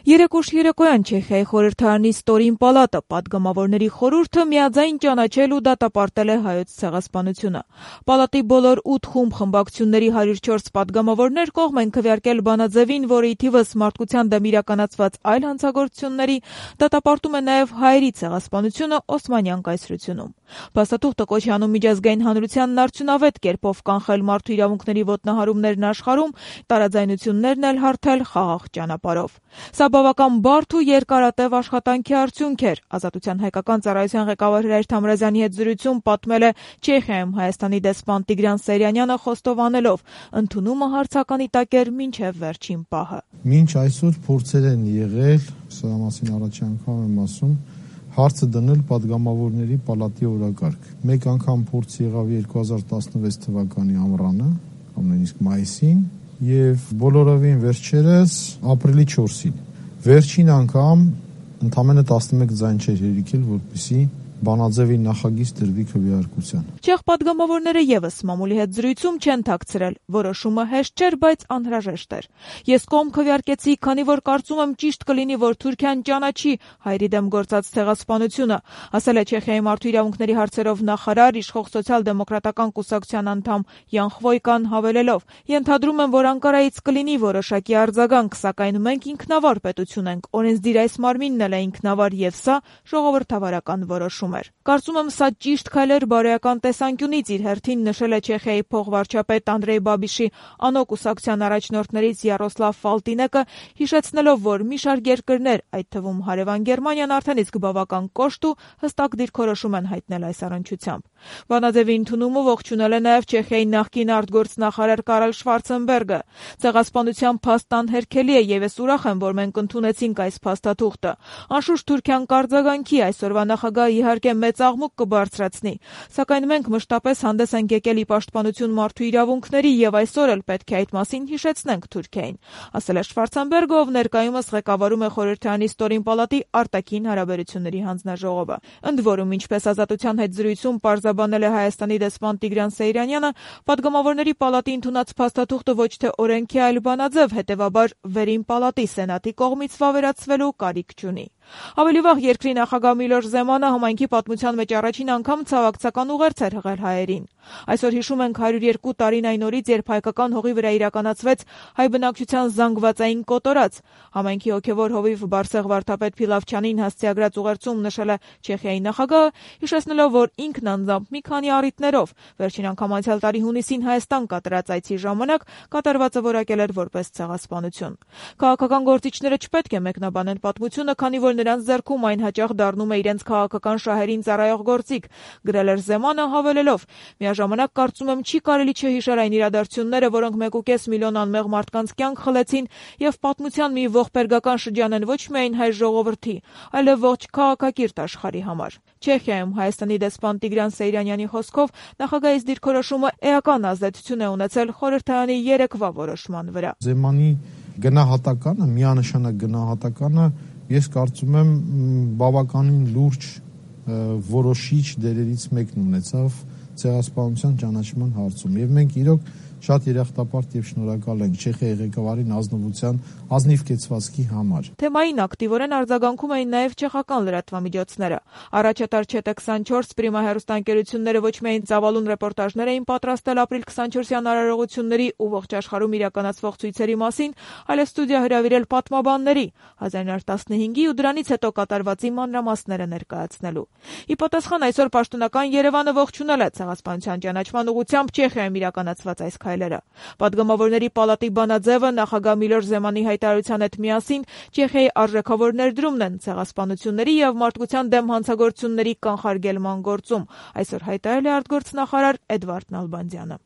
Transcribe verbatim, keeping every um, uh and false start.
Երեք ուշ երեկոյան Չեխիայի խորհրդարանի ստորին պալատը պատգամավորների խորհուրդը միաձայն ճանաչել ու դատապարտել է հայոց ցեղասպանությունը։ Պալատի բոլոր ութ խումբ խմբակցությունների հարյուր չորս պատգամավորներ կողմ են քվեարկել բանաձևին, որը ի թիվս մարդկության դեմ իրականացված այլ հանցագործությունների դատապարտում է նաև հայերի ցեղասպանությունը Օսմանյան կայսրությունում։ Փաստաթուղթը կոչ է անում միջազգային հանրությանն արդյունավետ կերպով կանխել մարդու իրավունքների ոտնահարումներն աշխարհում, տարաձայնություններն էլ հարթել խաղաղ ճանապարհով։ Սա բավական բարդ ու երկարատև աշխատանքի արդյունք էր, Ազատության հայկական ծառայության ղեկավար Հրայր Թամրազյանի հետ զրույցում պատմել է Չեխիայում Հայաստանի դեսպան Տիգրան Սերյանյանը խոստովանելով, ընդունումը հարցականի տակ էր մինչև վերջին պահը։ Մինչ այսօր փորձեր են եղել, սա մասին առաջի անգամ եմ ասում, հարցը դնել պատգամավորների պալատի օրակարգ։ Մեկ անգամ փորձ եղավ երկու հազար տասնվեց թվականի ամռանը, կամ նույնիսկ մայիսին, եւ բոլորովին վերջերս ապրիլի չորսին։ Վերջին անգամ ընդամենը տասնմեկ ձայն չէր հերիքել, որպեսզի բանաձևի նախագիծ դրվի քվեարկության։ Չեխ պատգամավորները եւս մամուլի հետ զրույցում չեն թաքցրել, որոշումը հեշտ չէր, բայց անհրաժեշտ էր։ Ես կողմ քվեարկեցի, քանի որ կարծում եմ ճիշտ կլինի, որ Թուրքիան ճանաչի հայերի դեմ գործած ցեղասպանությունը, ասել է Չեխիայի մարդու իրավունքների հարցերով նախարար, իշխող սոցիալ-դեմոկրատական կուսակցության անդամ Յան Խվոյկան հավելելով. Ենթադրում եմ, որ Անկարայից կլինի որոշակի արձագանք, սակայն մենք ինքնավար պետություն ենք, օրենսդիր այս մարմինն էլ է ինքնավար եւ սա ժողովրդավարական որոշում էր։ Կարծում եմ, սա ճիշտ քայլ էր բարոյական տեսանկյունից, իր հերթին նշել է Չեխիայի փոխվարչապետ Անդրեյ Բաբիշի անո կուսակցության առաջնորդներից Յարոսլավ Ֆալտինեկը, հիշեցնելով, որ մի շարք երկրներ, այդ թվում հարևան Գերմանիան, արդեն իսկ բավական կոշտ ու հստակ դիրքորոշում են հայտնել այս առնչությամբ։ Բանաձևի ընդունումը ողջունել է նաև Չեխիայի նախկին արտգործնախարար Կարել Շվարցենբերգը։ Ցեղասպանության փաստն անհերքելի է եւ ես ուրախ եմ, որ մենք ընդունեցինք այս փաստաթուղթը։ Անշուշտ Թուրքիան կարձագանքի, այսօրվա նախագահը իհարկե մեծ աղմուկ կբարձրացնի, սակայն մենք մշտապես հանդես ենք եկել ի պաշտպանություն մարդու իրավունքների եւ այսօր էլ պետք է այդ մասին հիշեցնենք Թուրքիային, ասել է Շվարցենբերգը, ով ներկայումս ղեկավարում է խորհրդարանի ստորին պալատի արտաքին հարաբերությունների հանձնաժողովը։ Ընդ որում, ինչպես Ազատության հետ զրույցում պարզաբանել է Հայաստանի դեսպան Տիգրան Սեյրանյանը, պատգամավորների պալատի ընդունած փաստաթուղթը ոչ թե օրենք է, այլ բանաձև, հետևաբար վերին պալատի սենատի կողմից վավերացվելու կարիք չունի։ Ավելի վաղ երկրի նախագահ Միլոշ Զեմանը համայնքի պատմության մեջ առաջին անգամ ցավակցական ուղերձ էր հղել հայերին։ Այսօր հիշում ենք հարյուր երկու տարին այն օրից, երբ հայկական հողի վրա իրականացվեց հայ բնակչության զանգվածային կոտորած։ Համայնքի հոգևոր հովիվ Բարսեղ վարդապետ Փիլավչյանին հասցեագրած ուղերձում նշել է Չեխիայի նախագահը, հիշեցնելով, որ ինքն անձամբ մի քանի առիթներով վերջին անգամ անցյալ տարի հունիսին Հայաստան կատարած այցի ժամանակ կատարվածը որակել էր որպես ցեղասպանություն։ Քաղաքական գործիչները չպետք է մեկնաբանեն պատմությունը, քանի որ նրանց ձեռքում այն հաճախ դառնում է իրենց քաղաքական շահերին ծառայող գործիք, գրել էր Զեմանը, հավելելով. Միաժամանակ կարծում եմ չի կարելի չհիշել այն իրադարձությունները, որոնք մեկ ու կես միլիոն անմեղ մարդկանց կյանք խլեցին եւ պատմության մի ողբերգական շրջան են ոչ միայն հայ ժողովրդի, այլև ողջ քաղաքակիրթ աշխարհի համար։ Չեխիայում Հայաստանի դեսպան Տիգրան Սեյրանյանի խոսքով նախագահის դիրքորոշումը էական ազդեցություն է ունեցել խորհրդարանի երեկվա որոշման վրա։ Զեմանի գնահատականը, միանշանակ գնահատականը ես կարծում եմ բավականին լուրջ որոշիչ դերերից մեկն ունեցավ ցեղասպանության ճանաչման հարցում եւ մենք իրոք շատ երախտապարտ եւ շնորհակալ ենք Չեխիայի ղեկավարին ազնվության ազնիվ կեցվածքի համար։ Թեմային ակտիվորեն արձագանքում էին նաև չեխական լրատվամիջոցները։ Առաջատար Չետե քսանչորս Պրիմա հեռուստաընկերությունները ոչ միայն ծավալուն ռեպորտաժներ էին պատրաստել ապրիլ քսանչորսյան արարողությունների ու ողջ աշխարհում իրականացվող ցույցերի մասին, այլև ստուդիա հրավիրել պատմաբանների հազար նոյ տասնհինգի ու դրանից հետո կատարվածի մանրամասները ներկայացնելու։ Ի պատասխան այսօր պաշտոնական Երևանը ողջունել է ցեղասպանության ճանաչման ուղղությամբ Չեխիայում իրականացված այս քայլերը։ Պատգամավորների պալատի բանաձևը նախագահ Միլոշ Զեմանի հայտարարության հետ միասին Չեխիայի արժեքավոր ներդրումն են ցեղասպանությունների եւ մարդկության դեմ հանցագործությունների կանխարգելման գործում, այսօր հայտարարել է արտգործնախարար Էդվարդ Նալբանդյանը։